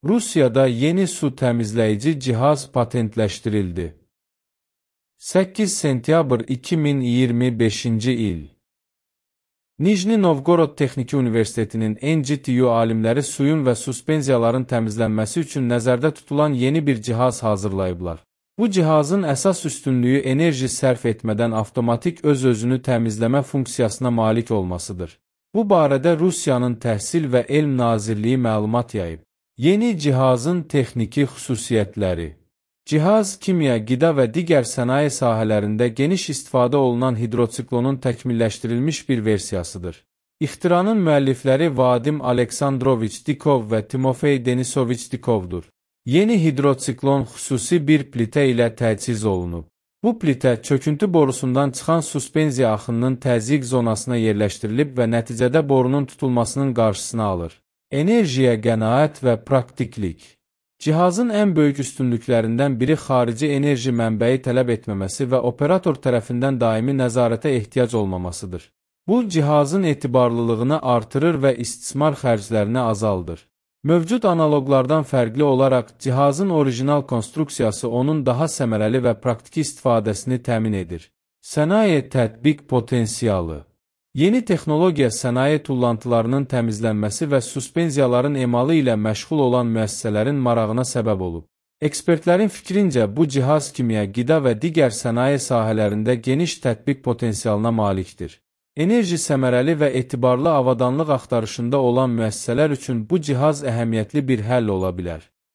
Rusiyada yeni su təmizləyici cihaz patentləşdirildi. 8 sentyabr 2025-ci il. Nijni Novgorod Texniki Universitetinin NGTU alimləri suyun və suspenziyaların təmizlənməsi üçün nəzərdə tutulan yeni bir cihaz hazırlayıblar. Bu cihazın əsas üstünlüyü enerji sərf etmədən avtomatik öz-özünü təmizləmə funksiyasına malik olmasıdır. Bu barədə Rusiyanın Təhsil və Elm Nazirliyi məlumat yayıb. Yeni cihazın texniki xüsusiyyətləri. Cihaz, kimya, qida və digər sənaye sahələrində geniş istifadə olunan hidrotsiklonun təkmilləşdirilmiş bir versiyasıdır. İxtiranın müəllifləri Vadim Aleksandroviç Dikov və Timofey Denisoviç Dikovdur. Yeni hidrotsiklon xüsusi bir plitə ilə təchiz olunub. Bu plitə çöküntü borusundan çıxan suspenziya axınının təzyiq zonasına yerləşdirilib və nəticədə borunun tutulmasının qarşısını alır. Enerjiyə qənaət və praktiklik. Cihazın ən böyük üstünlüklərindən biri xarici enerji mənbəyi tələb etməməsi və operator tərəfindən daimi nəzarətə ehtiyac olmamasıdır. Bu, cihazın etibarlılığını artırır və istismar xərclərini azaldır. Mövcud analoqlardan fərqli olaraq, cihazın orijinal konstruksiyası onun daha səmərəli və praktiki istifadəsini təmin edir. Sənaye tətbiq potensialı. Yeni texnologiya sənaye tullantılarının təmizlənməsi və suspenziyaların emalı ilə məşğul olan müəssisələrin marağına səbəb olub. Ekspertlərin fikrincə, bu cihaz kimya, qida və digər sənaye sahələrində geniş tətbiq potensialına malikdir. Enerji səmərəli və etibarlı avadanlıq axtarışında olan müəssisələr üçün bu cihaz əhəmiyyətli bir həll ola bilər.